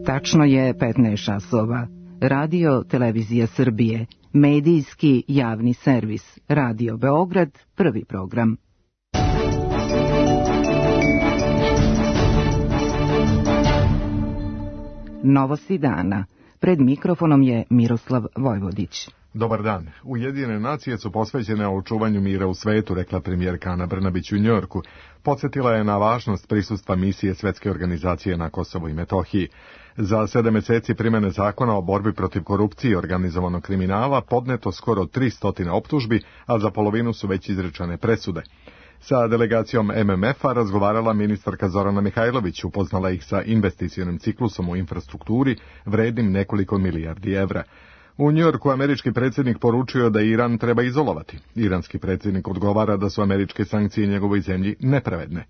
Tačno je 15 časova. Radio Televizija Srbije, medijski javni servis, Radio Beograd, prvi program. Novosti dana. Pred mikrofonom je Miroslav Vojvodić. Dobar dan. Ujedinjene nacije su posvećene očuvanju mira u svetu, rekla premijerka Ana Brnabić u Njujorku. Podsjetila je na važnost prisustva misije Svetske organizacije na Kosovu i Metohiji. Za 7 meseci primjene zakona o borbi protiv korupcije i organizovanog kriminala podneto skoro 300 optužbi, a za polovinu su već izrečene presude. Sa delegacijom MMF-a razgovarala ministarka Zorana Mihajlović, upoznala ih sa investicionim ciklusom u infrastrukturi vrednim nekoliko milijardi evra. U Njujorku američki predsjednik poručio da Iran treba izolovati. Iranski predsjednik odgovara da su američke sankcije njegovoj zemlji nepravedne.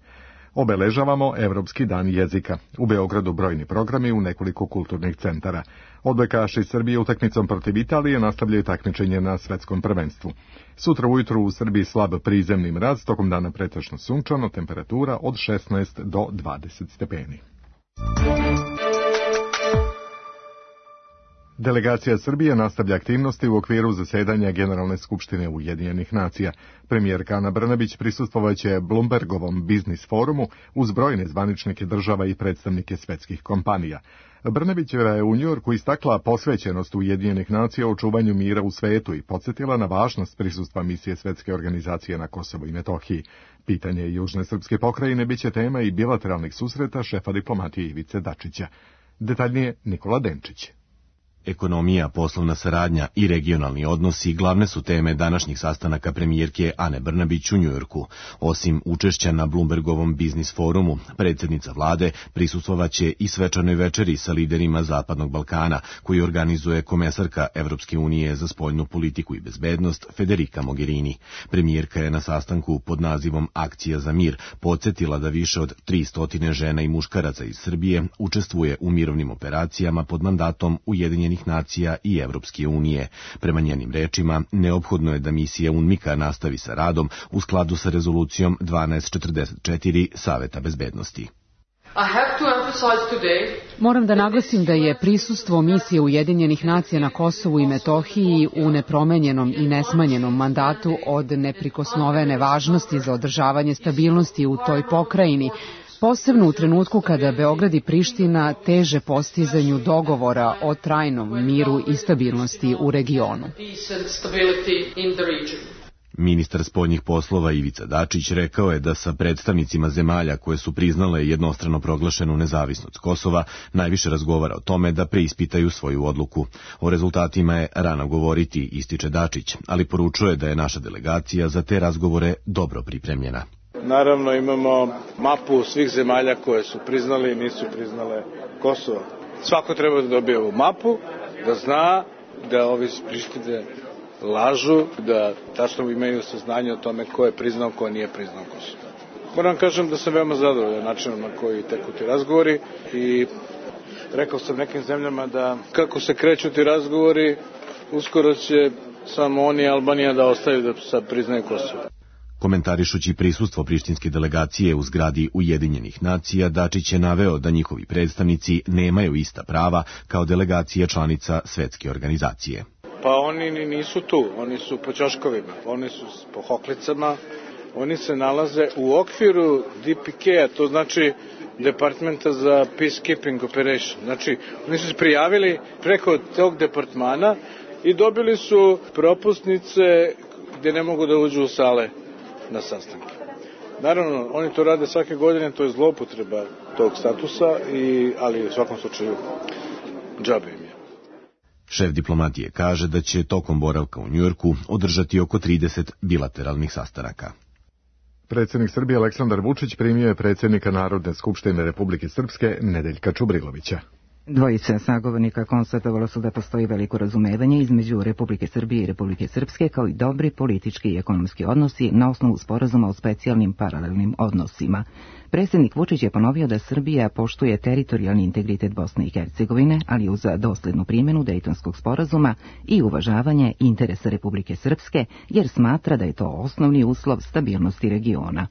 Obeležavamo Evropski dan jezika. U Beogradu brojni programi u nekoliko kulturnih centara. Odbojkaši Srbije utakmicom protiv Italije nastavljaju takmičenje na svetskom prvenstvu. Sutra ujutru u Srbiji slab prizemni mraz, tokom dana pretežno sunčano, temperatura od 16 do 20 stepeni. Delegacija Srbije nastavlja aktivnosti u okviru zasedanja Generalne skupštine Ujedinjenih nacija. Premijerka Ana Brnabić prisustvovaće Bloombergovom biznis forumu uz brojne zvaničnike država i predstavnike svetskih kompanija. Brnabićeva je u Njujorku istakla posvećenost Ujedinjenih nacija u očuvanju mira u svetu i podsjetila na važnost prisustva misije Svetske organizacije na Kosovu i Metohiji. Pitanje južne srpske pokrajine biće tema i bilateralnih susreta šefa diplomatije Ivice Dačića. Detaljnije Nikola Denčić. Ekonomija, poslovna saradnja i regionalni odnosi glavne su teme današnjih sastanaka premijerke Ane Brnabić u Njujorku. Osim učešća na Bloombergovom biznis forumu, predsjednica vlade prisustvovaće i svečanoj večeri sa liderima Zapadnog Balkana, koji organizuje komesarka Evropske unije za spoljnu politiku i bezbednost Federica Mogherini. Premijerka je na sastanku pod nazivom Akcija za mir podsjetila da više od 300 žena i muškaraca iz Srbije učestvuje u mirovnim operacijama pod mandatom Ujedinjenih nacija i Evropske unije. Prema njenim rečima, neophodno je da misija UNMIK-a nastavi sa radom u skladu sa rezolucijom 1244 Saveta bezbednosti. Moram da naglasim da je prisustvo misije Ujedinjenih nacija na Kosovu i Metohiji u nepromenjenom i nesmanjenom mandatu od neprikosnovene važnosti za održavanje stabilnosti u toj pokrajini, posebno u trenutku kada Beograd i Priština teže postizanju dogovora o trajnom miru i stabilnosti u regionu. Ministar spoljnih poslova Ivica Dačić rekao je da sa predstavnicima zemalja koje su priznale jednostrano proglašenu nezavisnost Kosova najviše razgovara o tome da preispitaju svoju odluku. O rezultatima je rano govoriti, ističe Dačić, ali poručuje da je naša delegacija za te razgovore dobro pripremljena. Naravno imamo mapu svih zemalja koje su priznali i nisu priznale Kosovo. Svako treba da dobije ovu mapu, da zna da ovi iz Prištine lažu, da tačno imaju saznanje o tome ko je priznao, ko nije priznao Kosovo. Moram kažem da sam veoma zadovoljan načinom na koji teku ti razgovori i rekao sam nekim zemljama da kako se kreću ti razgovori, uskoro će samo oni i Albanija da ostaju da sad priznaju Kosovo. Komentarišući prisustvo prištinske delegacije u zgradi Ujedinjenih nacija, Dačić je naveo da njihovi predstavnici nemaju ista prava kao delegacija članica Svetske organizacije. Pa oni nisu tu, oni su po ćoškovima, oni su po hoklicama, oni se nalaze u okviru DPK-a, to znači Departmenta za Peacekeeping Operation. Znači, oni su se prijavili preko tog departmana i dobili su propusnice gdje ne mogu da uđu u sale na sastanke. Naravno, oni to rade svake godine, to je zloupotreba tog statusa, ali u svakom slučaju džabe im je. Šef diplomatije kaže da će tokom boravka u Njujorku održati oko 30 bilateralnih sastanaka. Predsjednik Srbije Aleksandar Vučić primio je predsjednika Narodne skupštine Republike Srpske Nedeljka Čubrilovića. Dvojica sagovornika konstatovalo su da postoji veliko razumevanje između Republike Srbije i Republike Srpske, kao i dobri politički i ekonomski odnosi na osnovu sporazuma o specijalnim paralelnim odnosima. Predsjednik Vučić je ponovio da Srbija poštuje teritorijalni integritet Bosne i Hercegovine, ali uz doslednu primjenu Dejtonskog sporazuma i uvažavanje interesa Republike Srpske, jer smatra da je to osnovni uslov stabilnosti regiona.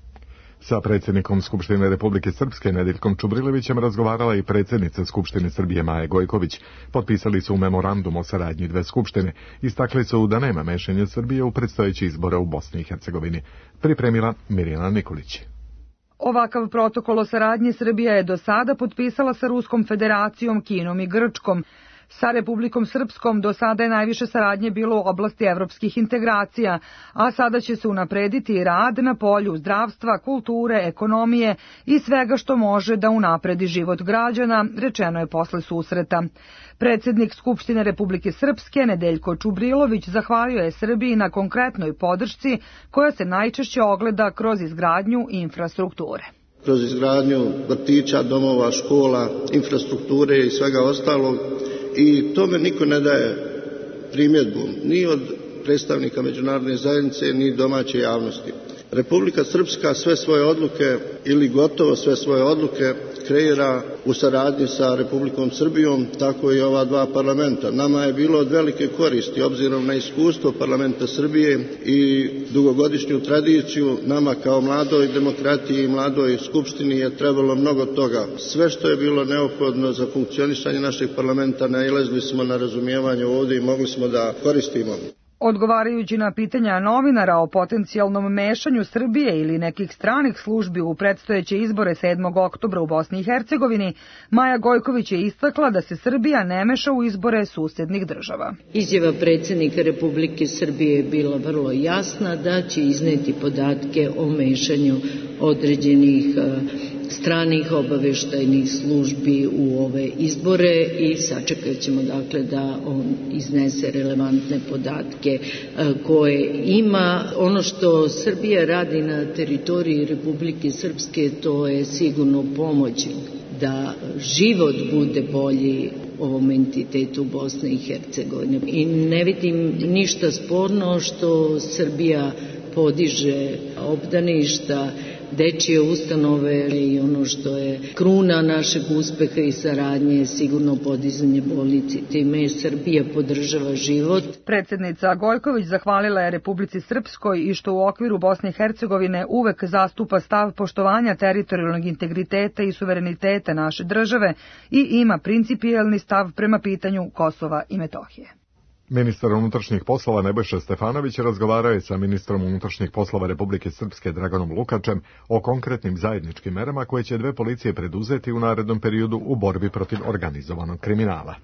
Sa predsjednikom Skupštine Republike Srpske Nedeljkom Čubrilovićem razgovarala i predsjednica Skupštine Srbije Maja Gojković. Potpisali su memorandum o saradnji dve skupštine. Istakli su da nema mešanja Srbije u predstojeći izbore u Bosni i Hercegovini. Pripremila Mirjana Nikolić. Ovakav protokol o saradnji Srbija je do sada potpisala sa Ruskom federacijom, Kinom i Grčkom. Sa Republikom Srpskom do sada je najviše saradnje bilo u oblasti evropskih integracija, a sada će se unaprediti rad na polju zdravstva, kulture, ekonomije i svega što može da unapredi život građana, rečeno je posle susreta. Predsjednik Skupštine Republike Srpske Nedeljko Čubrilović zahvalio je Srbiji na konkretnoj podršci koja se najčešće ogleda kroz izgradnju infrastrukture. Kroz izgradnju vrtića, domova, škola, infrastrukture i svega ostalog. I tome niko ne daje primjedbu, ni od predstavnika međunarodne zajednice, ni domaće javnosti. Republika Srpska sve svoje odluke, ili gotovo sve svoje odluke, kreira u saradnji sa Republikom Srbijom, tako i ova dva parlamenta. Nama je bilo od velike koristi, obzirom na iskustvo parlamenta Srbije i dugogodišnju tradiciju, nama kao mladoj demokratiji i mladoj skupštini je trebalo mnogo toga. Sve što je bilo neophodno za funkcionisanje našeg parlamenta, nailazili smo na razumijevanje ovdje i mogli smo da koristimo. Odgovarajući na pitanja novinara o potencijalnom mešanju Srbije ili nekih stranih službi u predstojeće izbore 7. oktobra u Bosni i Hercegovini, Maja Gojković je istakla da se Srbija ne meša u izbore susjednih država. Izjava predsjednika Republike Srbije je bila vrlo jasna da će izneti podatke o mešanju određenih stranih obaveštajnih službi u ove izbore i sačekat ćemo dakle da on iznese relevantne podatke koje ima. Ono što Srbija radi na teritoriji Republike Srpske, to je sigurno pomoć da život bude bolji ovom entitetu Bosne i Hercegovine. I ne vidim ništa sporno što Srbija podiže obdaništa, dečije ustanove i ono što je kruna našeg uspeha i saradnje je sigurno podizanje bolnice. Time Srbija podržava život. Predsjednica Gojković zahvalila je Republici Srpskoj i što u okviru Bosne i Hercegovine uvek zastupa stav poštovanja teritorijalnog integriteta i suvereniteta naše države i ima principijelni stav prema pitanju Kosova i Metohije. Ministar unutrašnjih poslova Nebojša Stefanović razgovarao je sa ministrom unutrašnjih poslova Republike Srpske Draganom Lukačem o konkretnim zajedničkim merama koje će dve policije preduzeti u narednom periodu u borbi protiv organizovanog kriminala.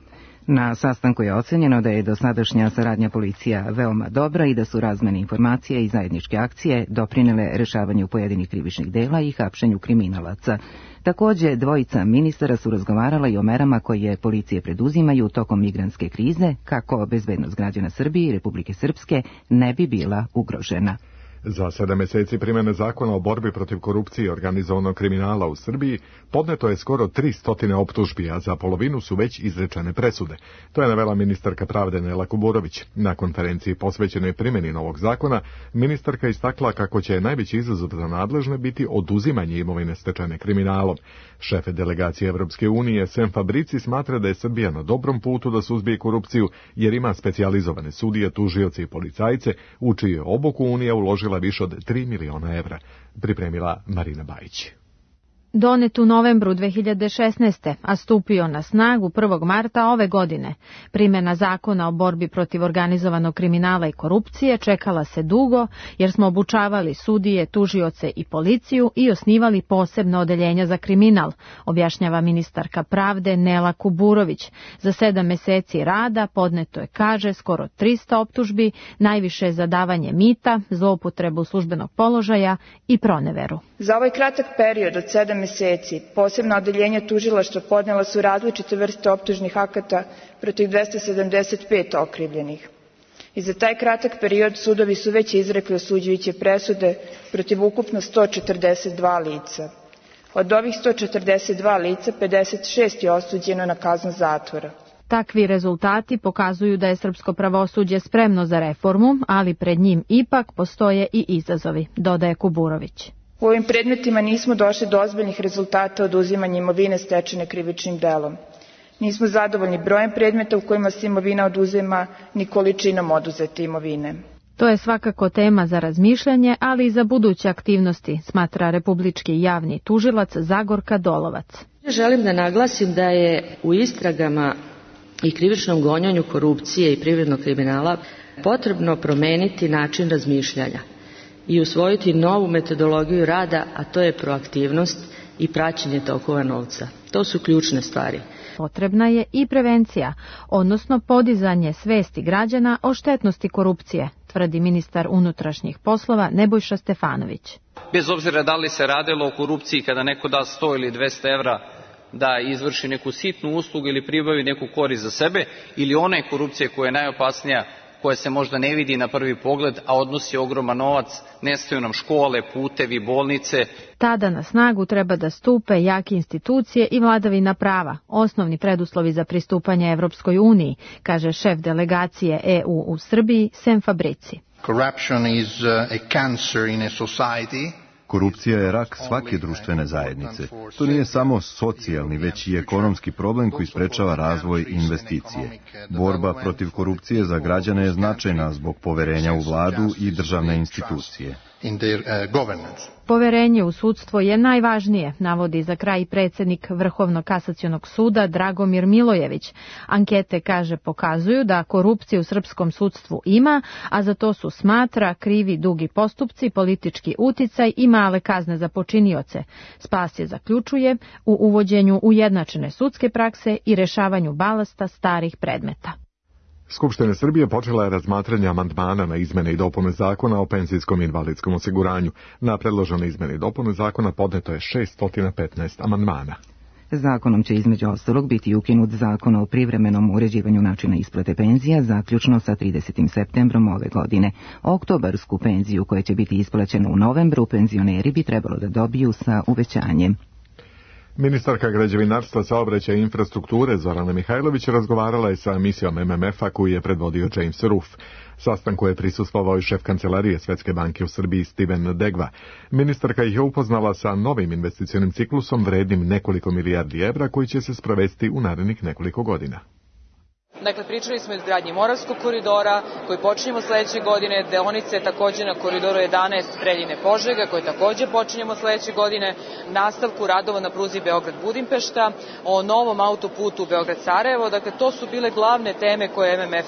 Na sastanku je ocenjeno da je dosadašnja saradnja policija veoma dobra i da su razmene informacije i zajedničke akcije doprinele rešavanju pojedinih krivičnih dela i hapšenju kriminalaca. Takođe, dvojica ministara su razgovarala i o merama koje policije preduzimaju tokom migrantske krize, kako bezbednost građana Srbije i Republike Srpske ne bi bila ugrožena. Za 7 meseci primjene zakona o borbi protiv korupcije i organizovanog kriminala u Srbiji podneto je skoro 300 optužbi, a za polovinu su već izrečene presude. To je navela ministarka pravde Nela Kuburović. Na konferenciji posvećenoj primjeni novog zakona, ministarka istakla kako će najveći izazov za nadležne biti oduzimanje imovine stečene kriminalom. Šef delegacije Evropske unije Sem Fabrici smatra da je Srbija na dobrom putu da suzbije korupciju, jer ima specijalizovane sudije, tužioce i policajce, u čiju je obuku Unija uložila više od 3 miliona evra, pripremila Marina Bajić. Donet u novembru 2016. a stupio na snagu 1. marta ove godine. Primjena zakona o borbi protiv organizovanog kriminala i korupcije čekala se dugo jer smo obučavali sudije, tužioce i policiju i osnivali posebno odeljenja za kriminal, objašnjava ministarka pravde Nela Kuburović. Za 7 meseci rada podneto je, kaže, skoro 300 optužbi, najviše za davanje mita, zloupotrebu službenog položaja i proneveru. Za ovaj kratak period od 7 meseci posebna odeljenja tužilaštva podnela su različite vrste optužnih akata protiv 275 okrivljenih. I za taj kratak period sudovi su već izrekli osuđujuće presude protiv ukupno 142 lica. Od ovih 142 lica 56 je osuđeno na kaznu zatvora. Takvi rezultati pokazuju da je srpsko pravosuđe spremno za reformu, ali pred njim ipak postoje i izazovi, dodaje Kuburović. U ovim predmetima nismo došli do ozbiljnih rezultata oduzimanja imovine stečene krivičnim delom. Nismo zadovoljni brojem predmeta u kojima se imovina oduzima, ni količinom oduzete imovine. To je svakako tema za razmišljanje, ali i za buduće aktivnosti, smatra republički javni tužilac Zagorka Dolovac. Želim da naglasim da je u istragama i krivičnom gonjenju korupcije i privrednog kriminala potrebno promeniti način razmišljanja i usvojiti novu metodologiju rada, a to je proaktivnost i praćenje tokova novca. To su ključne stvari. Potrebna je i prevencija, odnosno podizanje svesti građana o štetnosti korupcije, tvrdi ministar unutrašnjih poslova Nebojša Stefanović. Bez obzira da li se radilo o korupciji kada neko da 100 ili 200 evra da izvrši neku sitnu uslugu ili pribavi neku korist za sebe, ili one korupcije koja je najopasnija, koja se možda ne vidi na prvi pogled, a odnosi ogroman novac, nestaju nam škole, putevi, bolnice. Tada na snagu treba da stupe jake institucije i vladavina prava, osnovni preduslovi za pristupanje Evropskoj uniji, kaže šef delegacije EU u Srbiji, Sem Fabrici. Corruption is a cancer in a society. Korupcija je rak svake društvene zajednice. To nije samo socijalni, već i ekonomski problem koji sprečava razvoj i investicije. Borba protiv korupcije za građane je značajna zbog poverenja u vladu i državne institucije. Poverenje u sudstvo je najvažnije, navodi za kraj predsjednik Vrhovnog kasacionog suda Dragomir Milojević. Ankete, kaže, pokazuju da korupcije u srpskom sudstvu ima, a za to su, smatra, krivi dugi postupci, politički uticaj i male kazne za počinioce. Spas je, zaključuje, u uvođenju ujednačene sudske prakse i rešavanju balasta starih predmeta. Skupština Srbije počela je razmatranje amandmana na izmene i dopune zakona o penzijskom i invalidskom osiguranju. Na predložene izmene i dopune zakona podneto je 615 amandmana. Zakonom će između ostalog biti ukinut zakon o privremenom uređivanju načina isplate penzija zaključno sa 30. septembrom ove godine. Oktobarsku penziju koja će biti isplaćena u novembru penzioneri bi trebalo da dobiju sa uvećanjem. Ministarka građevinarstva, saobraćaja i infrastrukture Zorana Mihajlović razgovarala je sa misijom MMF-a koju je predvodio James Ruff. Sastanku je prisustvovao i šef kancelarije Svetske banke u Srbiji Steven Degva. Ministarka ih je upoznala sa novim investicionim ciklusom vrednim nekoliko milijardi evra koji će se sprovesti u narednih nekoliko godina. Dakle, pričali smo o izgradnji Moravskog koridora, koji počinjemo sledeće godine, deonice također na koridoru 11 Preljine-Požega, koje također počinjemo sledeće godine, nastavku radova na pruzi Beograd-Budimpešta, o novom autoputu Beograd-Sarajevo. Dakle, to su bile glavne teme koje je MMF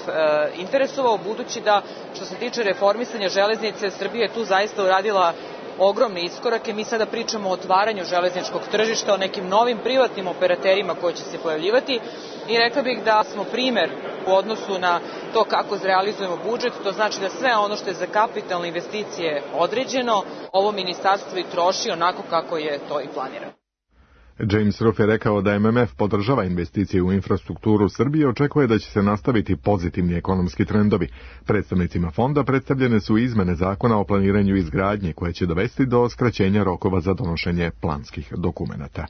interesovao, budući da, što se tiče reformisanja železnice, Srbija je tu zaista uradila ogromne iskorake. Mi sada pričamo o otvaranju železničkog tržišta, o nekim novim privatnim operaterima koji će se pojavljivati i rekla bih da smo primer u odnosu na to kako realizujemo budžet. To znači da sve ono što je za kapitalne investicije određeno, ovo ministarstvo i troši onako kako je to i planirano. James Ruff je rekao da MMF podržava investicije u infrastrukturu Srbije i očekuje da će se nastaviti pozitivni ekonomski trendovi. Predstavnicima fonda predstavljene su izmene zakona o planiranju izgradnje koje će dovesti do skraćenja rokova za donošenje planskih dokumenata.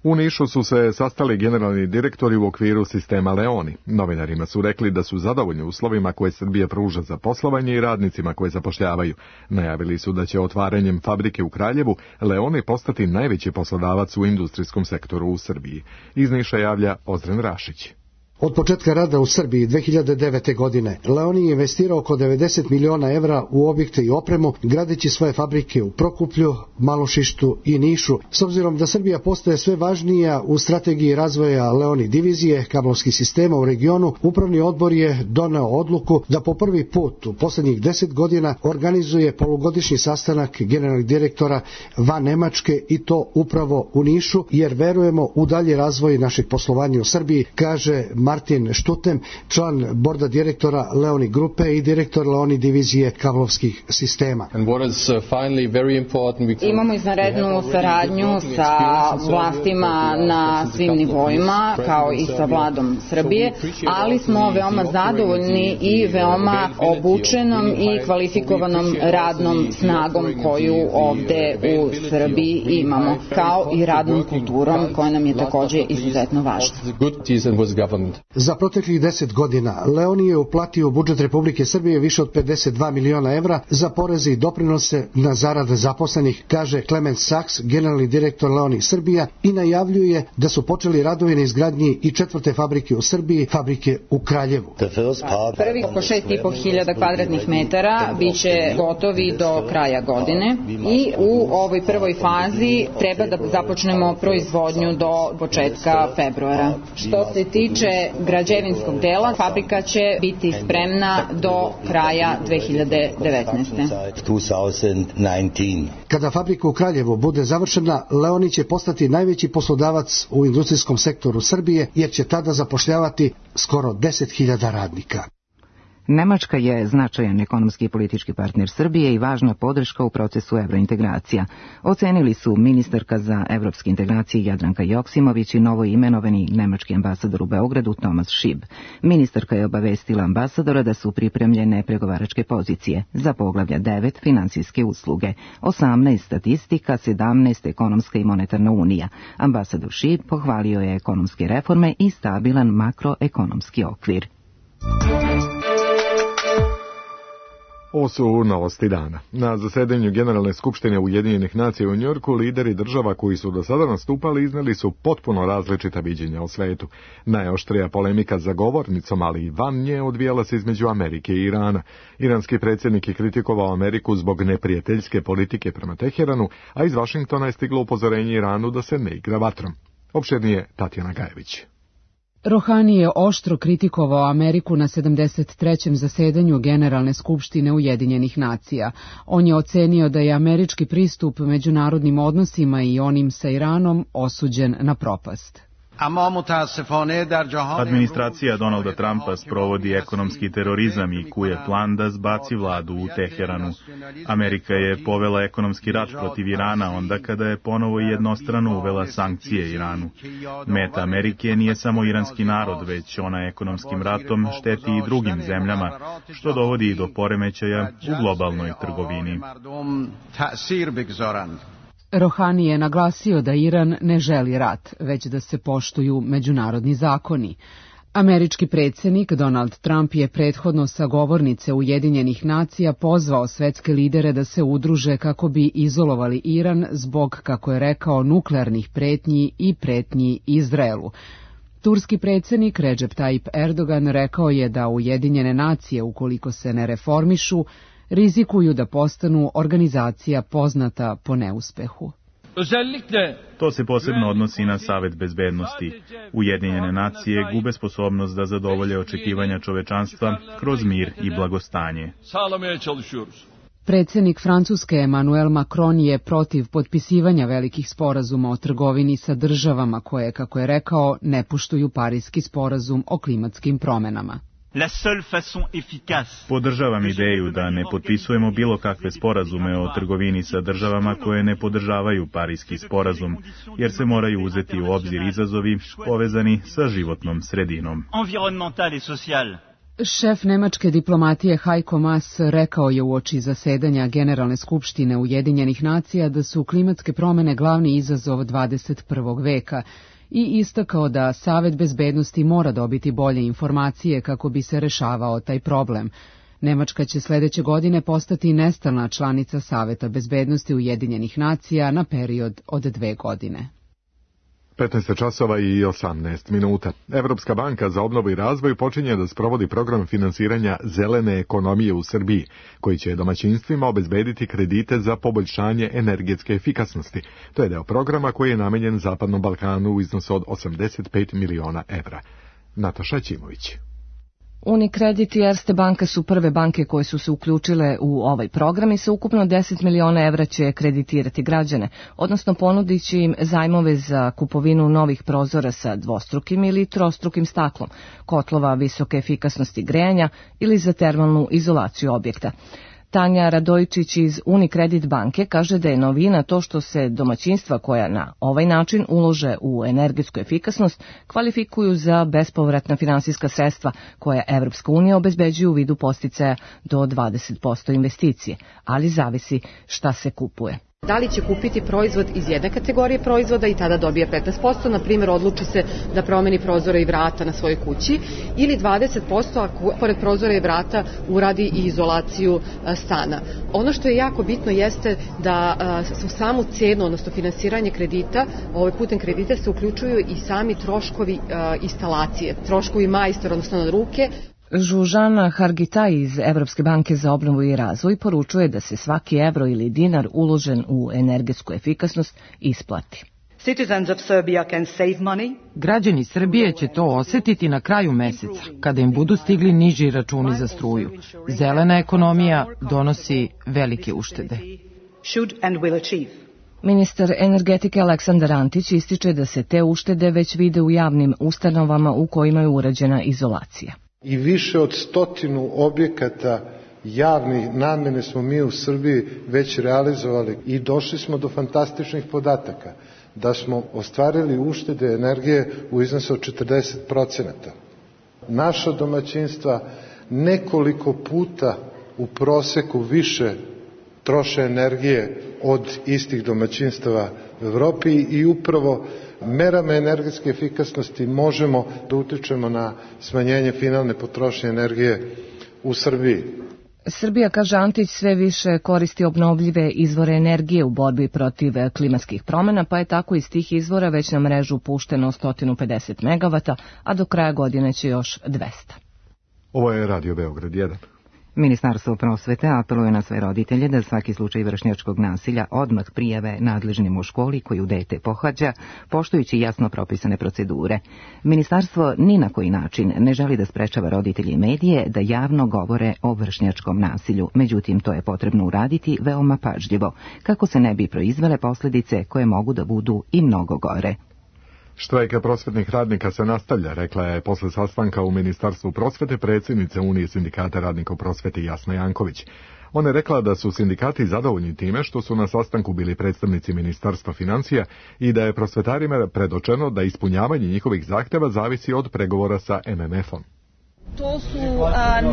U Nišu su se sastali generalni direktori u okviru sistema Leoni. Novinarima su rekli da su zadovoljni uslovima koje Srbija pruža za poslovanje i radnicima koje zapošljavaju. Najavili su da će otvaranjem fabrike u Kraljevu Leoni postati najveći poslodavac u industrijskom sektoru u Srbiji. Iz Niša javlja Ozren Rašić. Od početka rada u Srbiji 2009. godine Leoni je investirao oko 90 miliona evra u objekte i opremu, gradeći svoje fabrike u Prokuplju, Malošištu i Nišu. S obzirom da Srbija postaje sve važnija u strategiji razvoja Leoni divizije kablovskih sistema u regionu, upravni odbor je doneo odluku da po prvi put u poslednjih 10 godina organizuje polugodišnji sastanak generalnih direktora van Nemačke i to upravo u Nišu, jer verujemo u dalji razvoj našeg poslovanja u Srbiji, kaže Martin Štutem, član borda direktora Leoni grupe i direktor Leoni divizije kablovskih sistema. Imamo izvanrednu saradnju sa vlastima na svim nivoima, kao i sa vladom Srbije, ali smo veoma zadovoljni i veoma obučenom i kvalifikovanom radnom snagom koju ovde u Srbiji imamo, kao i radnom kulturom koja nam je također izuzetno važna. Za proteklih 10 godina Leoni je uplatio u budžet Republike Srbije više od 52 miliona evra za poreze i doprinose na zarade zaposlenih, kaže Klement Saks, generalni direktor Leoni Srbija, i najavljuje da su počeli radovi na izgradnji i 4. fabrike u Srbiji, fabrike u Kraljevu. Prvi oko 6.500 kvadratnih metara biće gotovi do kraja godine i u ovoj prvoj fazi treba da započnemo proizvodnju do početka februara. Što se tiče građevinskog dela, fabrika će biti spremna do kraja 2019. Kada fabrika u Kraljevu bude završena, Leoni će postati najveći poslodavac u industrijskom sektoru Srbije, jer će tada zapošljavati skoro 10.000 radnika. Nemačka je značajan ekonomski i politički partner Srbije i važna podrška u procesu evrointegracija. Ocenili su ministarka za evropske integracije Jadranka Joksimović i novo imenovani nemački ambasador u Beogradu Thomas Schieb. Ministarka je obavestila ambasadora da su pripremljene pregovaračke pozicije za poglavlja 9 finansijske usluge, 18 statistika, 17 ekonomska i monetarna unija. Ambasador Schieb pohvalio je ekonomske reforme i stabilan makroekonomski okvir. Ovo su novosti dana. Na zasedanju Generalne skupštine Ujedinjenih nacija u Njujorku lideri država koji su do sada nastupali izneli su potpuno različita viđenja o svetu. Najoštrija polemika za govornicom, ali i van nje, odvijala se između Amerike i Irana. Iranski predsjednik je kritikovao Ameriku zbog neprijateljske politike prema Teheranu, a iz Vašingtona je stiglo upozorenje Iranu da se ne igra vatrom. Opširnije Tatjana Gajević. Rohani je oštro kritikovao Ameriku na 73. zasedanju Generalne skupštine Ujedinjenih nacija. On je ocenio da je američki pristup međunarodnim odnosima i onim sa Iranom osuđen na propast. Administracija Donalda Trumpa sprovodi ekonomski terorizam i kuje plan da zbaci vladu u Teheranu. Amerika je povela ekonomski rat protiv Irana onda kada je ponovo jednostrano uvela sankcije Iranu. Meta Amerike nije samo iranski narod, već ona ekonomskim ratom šteti i drugim zemljama, što dovodi i do poremećaja u globalnoj trgovini. Rohani je naglasio da Iran ne želi rat, već da se poštuju međunarodni zakoni. Američki predsjednik Donald Trump je prethodno sa govornice Ujedinjenih nacija pozvao svetske lidere da se udruže kako bi izolovali Iran zbog, kako je rekao, nuklearnih pretnji i pretnji Izraelu. Turski predsjednik Recep Tayyip Erdogan rekao je da Ujedinjene nacije, ukoliko se ne reformišu, rizikuju da postanu organizacija poznata po neuspehu. To se posebno odnosi na Savet bezbednosti. Ujedinjene nacije gube sposobnost da zadovolje očekivanja čovečanstva kroz mir i blagostanje. Predsjednik Francuske Emmanuel Macron je protiv potpisivanja velikih sporazuma o trgovini sa državama koje, kako je rekao, ne poštuju Pariski sporazum o klimatskim promenama. Podržavam ideju da ne potpisujemo bilo kakve sporazume o trgovini sa državama koje ne podržavaju Pariski sporazum, jer se moraju uzeti u obzir izazovi povezani sa životnom sredinom. Šef nemačke diplomatije Heiko Maas rekao je uoči zasedanja Generalne skupštine Ujedinjenih nacija da su klimatske promene glavni izazov 21. veka i istakao da Savet bezbednosti mora dobiti bolje informacije kako bi se rešavao taj problem. Nemačka će sledeće godine postati nestalna članica Saveta bezbednosti Ujedinjenih nacija na period od 2 godine. 15 časova i 18 minuta. Evropska banka za obnovu i razvoj počinje da sprovodi program finansiranja zelene ekonomije u Srbiji, koji će domaćinstvima obezbediti kredite za poboljšanje energetske efikasnosti. To je deo programa koji je namenjen Zapadnom Balkanu u iznosu od 85 miliona evra. Nataša Ćimović. Unicredit i Erste banka su prve banke koje su se uključile u ovaj program i sa ukupno 10 miliona evra će kreditirati građane, odnosno ponudit će im zajmove za kupovinu novih prozora sa dvostrukim ili trostrukim staklom, kotlova visoke efikasnosti grejanja ili za termalnu izolaciju objekta. Tanja Radojičić iz Unicredit banke kaže da je novina to što se domaćinstva koja na ovaj način ulože u energetsku efikasnost kvalifikuju za bespovratna finansijska sredstva koja Evropska unija obezbeđuje u vidu podsticaja do 20% investicije, ali zavisi šta se kupuje. Da li će kupiti proizvod iz jedne kategorije proizvoda i tada dobija 15%, na primjer odluči se da promeni prozore i vrata na svojoj kući, ili 20% ako pored prozora i vrata uradi i izolaciju stana. Ono što je jako bitno jeste da u samu cenu, odnosno finansiranje kredita, putem kredita se uključuju i sami troškovi instalacije, troškovi majstora, odnosno na ruke. Žužana Hargitaj iz Evropske banke za obnovu i razvoj poručuje da se svaki evro ili dinar uložen u energetsku efikasnost isplati. Građani Srbije će to osetiti na kraju meseca, kada im budu stigli niži računi za struju. Zelena ekonomija donosi velike uštede. Ministar energetike Aleksandar Antić ističe da se te uštede već vide u javnim ustanovama u kojima je urađena izolacija. I više od 100 objekata javnih namene smo mi u Srbiji već realizovali i došli smo do fantastičnih podataka da smo ostvarili uštede energije u iznosu od 40%. Naša domaćinstva nekoliko puta u proseku više troše energije od istih domaćinstava u Evropi i upravo merama energetske efikasnosti možemo da utičemo na smanjenje finalne potrošnje energije u Srbiji. Srbija, kaže Antić, sve više koristi obnovljive izvore energije u borbi protiv klimatskih promjena, pa je tako iz tih izvora već na mrežu pušteno 150 MW, a do kraja godine će još 200. Ovo je Radio Beograd 1. Ministarstvo prosvete apeluje na sve roditelje da svaki slučaj vršnjačkog nasilja odmah prijave nadležnim u školi koju dete pohađa, poštujući jasno propisane procedure. Ministarstvo ni na koji način ne želi da sprečava roditelje i medije da javno govore o vršnjačkom nasilju, međutim to je potrebno uraditi veoma pažljivo, kako se ne bi proizvele posljedice koje mogu da budu i mnogo gore. Štrajka prosvetnih radnika se nastavlja, rekla je posle sastanka u Ministarstvu prosvete predsjednica Unije sindikata radnika u prosveti Jasna Janković. Ona je rekla da su sindikati zadovoljni time što su na sastanku bili predstavnici Ministarstva financija i da je prosvetarima predočeno da ispunjavanje njihovih zahteva zavisi od pregovora sa MMF-om. To su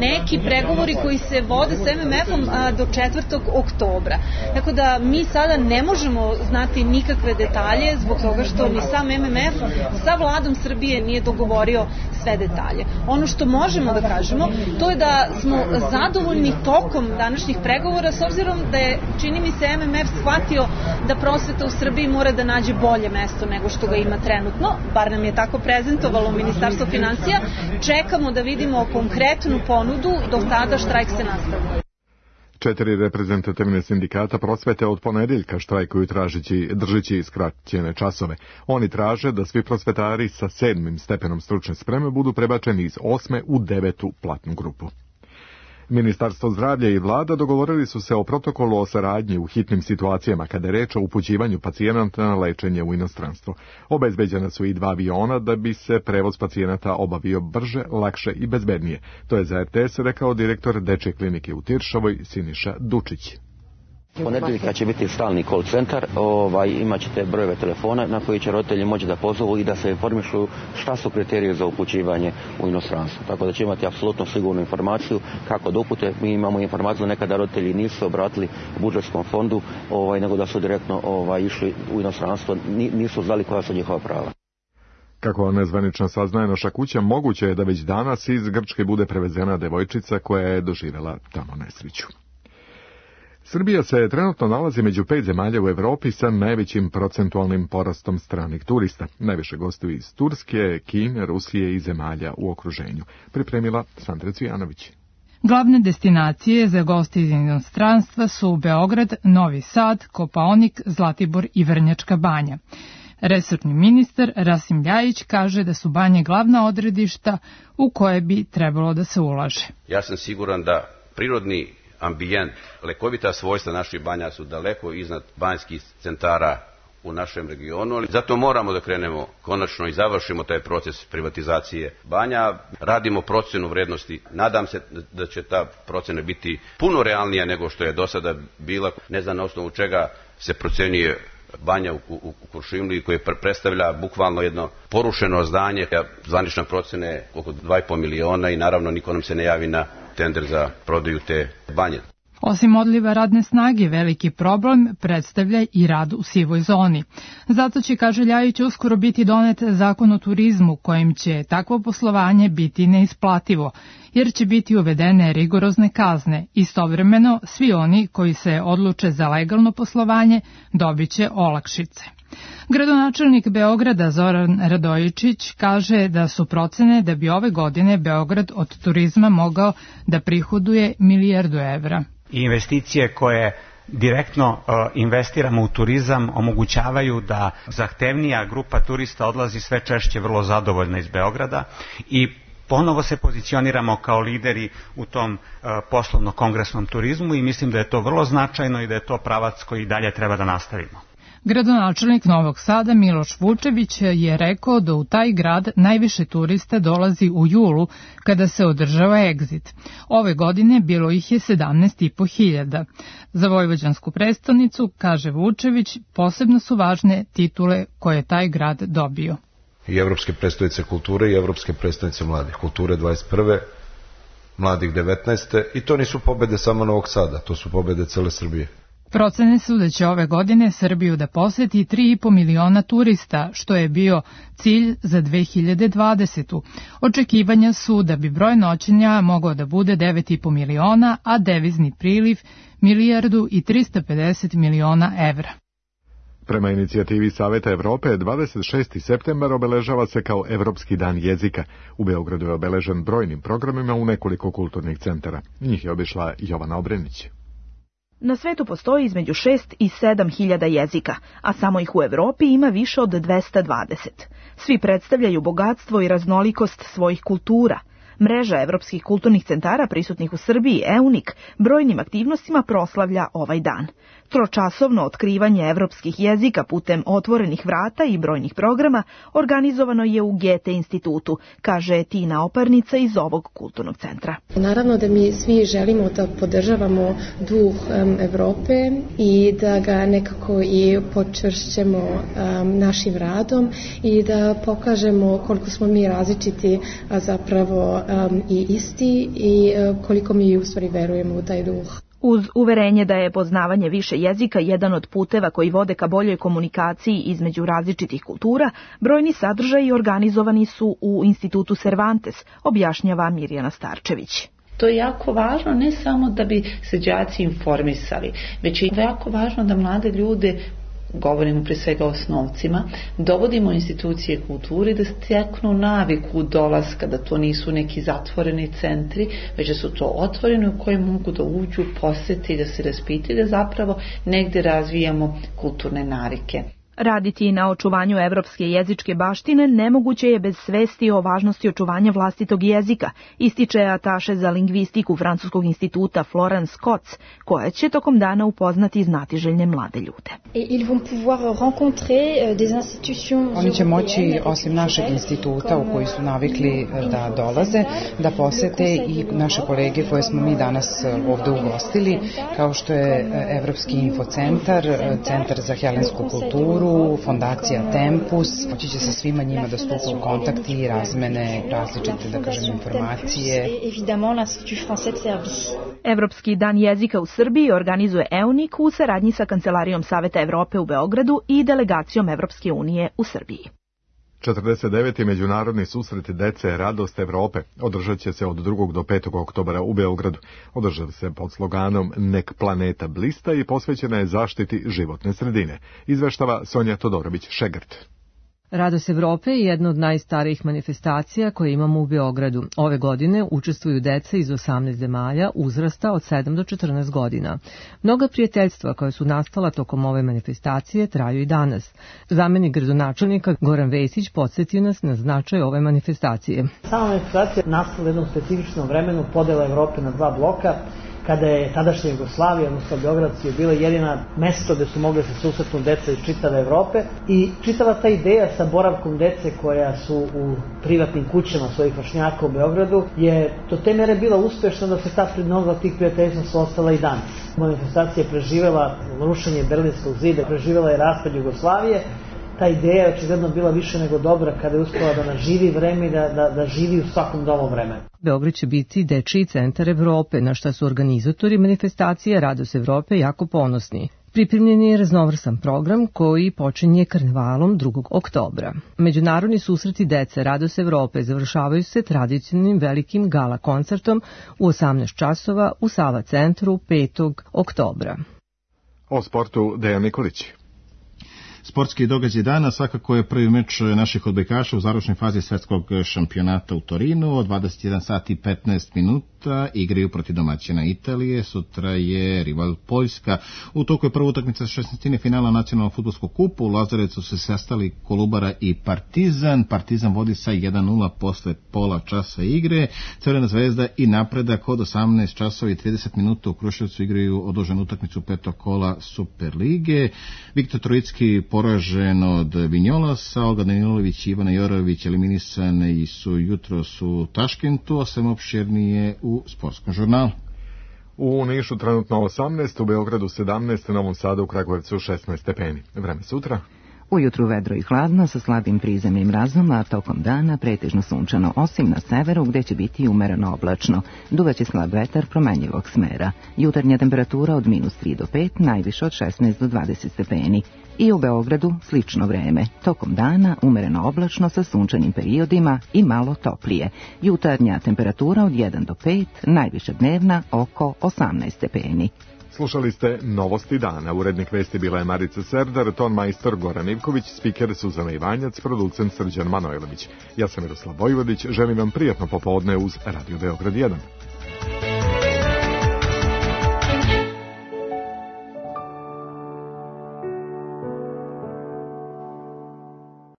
neki pregovori koji se vode s MMF-om do 4. oktobra. Tako da mi sada ne možemo znati nikakve detalje zbog toga što ni sam MMF sa vladom Srbije nije dogovorio sve detalje. Ono što možemo da kažemo, to je da smo zadovoljni tokom današnjih pregovora s obzirom da je, čini mi se, MMF shvatio da prosveta u Srbiji mora da nađe bolje mesto nego što ga ima trenutno, bar nam je tako prezentovalo Ministarstvo financija. Čekamo da vidimo konkretnu ponudu, do tada štrajk se nastavlja. 4 reprezentativne sindikata prosvete od ponedeljka štrajkuju držeći skraćene časove. Oni traže da svi prosvetari sa 7. stepenom stručne spreme budu prebačeni iz 8. u 9. platnu grupu. Ministarstvo zdravlja i vlada dogovorili su se o protokolu o saradnji u hitnim situacijama kada je reč o upućivanju pacijenata na lečenje u inostranstvo. Obezbeđena su i 2 aviona da bi se prevoz pacijenata obavio brže, lakše i bezbednije. To je za RTS rekao direktor Dečje klinike u Tiršovoj Siniša Dučić. Ponedeljka će biti stalni call centar, imat ćete brojeve telefona na koji će roditelji moći da pozovu i da se informišu šta su kriterije za upućivanje u inostranstvo. Tako da će imati apsolutno sigurnu informaciju kako da upute. Mi imamo informaciju da nekada roditelji nisu obratili budžetskom fondu, nego da su direktno išli u inostranstvo, nisu znali koja su njihova prava. Kako nezvanično saznaje naša kuća, moguće je da već danas iz Grčke bude prevezena devojčica koja je doživjela tamo nesreću. Srbija se trenutno nalazi među 5 zemalja u Evropi sa najvećim procentualnim porastom stranih turista. Najviše gostuju iz Turske, Kine, Rusije i zemalja u okruženju. Pripremila Sandra Cvijanović. Glavne destinacije za goste iz inostranstva su Beograd, Novi Sad, Kopaonik, Zlatibor i Vrnjačka Banja. Resorni ministar Rasim Ljajić kaže da su banje glavna odredišta u koje bi trebalo da se ulaže. Ja sam siguran da prirodni ambijent, lekovita svojstva naših banja su daleko iznad banjskih centara u našem regionu, ali zato moramo da krenemo konačno i završimo taj proces privatizacije banja. Radimo procenu vrednosti, nadam se da će ta procena biti puno realnija nego što je do sada bila. Ne znam na osnovu čega se procenjuje banja u Kuršumliji koje predstavlja bukvalno jedno porušeno zdanje. Zvanična procena je oko 2,5 miliona i naravno niko nam se ne javi na tender za prodaju te banje. Osim odliva radne snage, veliki problem predstavlja i rad u sivoj zoni. Zato će, kaže Ljajić, uskoro biti donet zakon o turizmu kojim će takvo poslovanje biti neisplativo, jer će biti uvedene rigorozne kazne. Istovremeno, svi oni koji se odluče za legalno poslovanje dobit će olakšice. Gradonačelnik Beograda Zoran Radojičić kaže da su procene da bi ove godine Beograd od turizma mogao da prihoduje 1 milijardu evra. Investicije koje direktno investiramo u turizam omogućavaju da zahtevnija grupa turista odlazi sve češće vrlo zadovoljna iz Beograda i ponovo se pozicioniramo kao lideri u tom poslovno-kongresnom turizmu i mislim da je to vrlo značajno i da je to pravac koji dalje treba da nastavimo. Gradonačelnik Novog Sada Miloš Vučević je rekao da u taj grad najviše turista dolazi u julu kada se održava Exit. Ove godine bilo ih je 17.500. Za vojvođansku prestonicu, kaže Vučević, posebno su važne titule koje je taj grad dobio. I Evropske prestonice kulture i Evropske prestonice mladih. Kulture 21. mladih 19. I to nisu pobede samo Novog Sada, to su pobede cele Srbije. Procene su da će ove godine Srbiju da poseti 3,5 miliona turista, što je bio cilj za 2020. Očekivanja su da bi broj noćenja mogao da bude 9,5 miliona, a devizni priliv 1 milijardu i 350 miliona evra. Prema inicijativi Saveta Evrope, 26. septembar obeležava se kao Evropski dan jezika. U Beogradu je obeležen brojnim programima u nekoliko kulturnih centara. Njih je obišla Jovana Obrenić. Na svetu postoji između 6 i 7 hiljada jezika, a samo ih u Evropi ima više od 220. Svi predstavljaju bogatstvo i raznolikost svojih kultura. Mreža evropskih kulturnih centara prisutnih u Srbiji, EUNIK, brojnim aktivnostima proslavlja ovaj dan. Tročasovno otkrivanje evropskih jezika putem otvorenih vrata i brojnih programa organizovano je u Goethe institutu, kaže Tina Oparnica iz ovog kulturnog centra. Naravno da mi svi želimo da podržavamo duh Evrope i da ga nekako i počvršćemo našim radom i da pokažemo koliko smo mi različiti, a zapravo i isti i koliko mi u stvari verujemo u taj duh. Uz uverenje da je poznavanje više jezika jedan od puteva koji vode ka boljoj komunikaciji između različitih kultura, brojni sadržaji organizovani su u Institutu Cervantes, objašnjava Mirjana Starčević. To je jako važno ne samo da bi se đaci informisali, već je jako važno da mlade ljude, govorimo pre svega o osnovcima, dovodimo institucije kulture da steknu naviku dolaska, da to nisu neki zatvoreni centri, već da su to otvoreni u koje mogu da uđu, posete i da se raspitaju, da zapravo negde razvijamo kulturne navike. Raditi na očuvanju evropske jezičke baštine nemoguće je bez svesti o važnosti očuvanja vlastitog jezika, ističe ataše za lingvistiku Francuskog instituta Florence Kotz, koja će tokom dana upoznati znatiželjne mlade ljude. Oni će moći, osim našeg instituta u koji su navikli da dolaze, da posete i naše kolege koje smo mi danas ovde ugostili, kao što je Evropski infocentar, Centar za helensku kulturu, Fondacija Tempus. Moći će sa svima njima da stupa u kontakt i razmene različite, da kažem, informacije. Evropski dan jezika u Srbiji organizuje EUNIK u saradnji sa Kancelarijom Saveta Evrope u Beogradu i delegacijom Evropske unije u Srbiji. 49. međunarodni susret dece Radost Evrope održat će se od 2. do 5. oktobra u Beogradu. Održava se pod sloganom Nek planeta blista i posvećena je zaštiti životne sredine. Izveštava Sonja Todorović-Šegrt. Radost Evrope je jedna od najstarijih manifestacija koje imamo u Beogradu. Ove godine učestvuju deca iz 18 zemalja uzrasta od 7 do 14 godina. Mnoga prijateljstva koja su nastala tokom ove manifestacije traju i danas. Zamenik gradonačelnika Goran Vesić podsjetio nas na značaj ove manifestacije. Sama manifestacija nastala u jednom specifičnom vremenu podela Evrope na dva bloka, kada je tadašnja Jugoslavija, odnosno Beograd, je bila jedina mesto gde su mogli se susretnu deca iz čitave Evrope i čitava ta ideja sa boravkom dece koja su u privatnim kućama svojih vršnjaka u Beogradu je do te mere bila uspešna da se ta mnogo tih prijateljstva su ostala i danas. Manifestacija je preživela rušenje Berlinskog zida, preživela je raspad Jugoslavije, ta ideja je očigledno bila više nego dobra kada je uspela da naživi vreme i da živi u svakom novom vremenu. Beograd će biti dečiji centar Evrope, na šta su organizatori manifestacije Radost Evrope jako ponosni. Pripremljen je raznovrsan program koji počinje karnevalom 2. oktobra. Međunarodni susreti dece Radost Evrope završavaju se tradicionalnim velikim gala koncertom u 18 časova u Sava centru 5. oktobra. O sportu Dejan Nikolić. Sportski događaj dana svakako je prvi meč naših odbojkaša u završnoj fazi svetskog šampionata u Torinu. Od 21 sati i 15 minuta igraju protiv domaćina Italije. Sutra je rival Poljska. U toku je prva utakmica 16. finala nacionalnog fudbalskog kupa. U Lazarecu se sastali Kolubara i Partizan. Partizan vodi sa 1:0 posle pola časa igre. Crvena zvezda i Napredak od 18 časova i 30 minuta u Kruševcu igraju odloženu utakmicu petog kola Superlige. Viktor Trojicki poražen od Vinjolasa, Olga Danilović i Ivana Jorović eliminisani su jutros u Taškentu, a sve opširnije u sportskom žurnalu. U Nišu trenutno 18, u Beogradu 17, u Novom Sadu, u Kragujevcu 16 stepeni. Vreme sutra? Ujutru vedro i hladno sa slabim prizemnim mrazom, a tokom dana pretežno sunčano, osim na severu gde će biti umereno oblačno. Duvaće slab vetar promenjivog smera. Jutarnja temperatura od -3 do 5, najviše od 16 do 20 stepeni. I u Beogradu slično vreme. Tokom dana umereno oblačno sa sunčanim periodima i malo toplije. Jutarnja temperatura od 1 do 5, najviša dnevna oko 18 stepeni. Slušali ste Novosti dana. Urednik vesti bila je Marica Serdar, ton majstor Goran Ivković, spiker Suzana Ivanjac, producent Srđan Manojlović. Ja sam Miroslav Vojvodić, želim vam prijatno popodne uz Radio Beograd 1.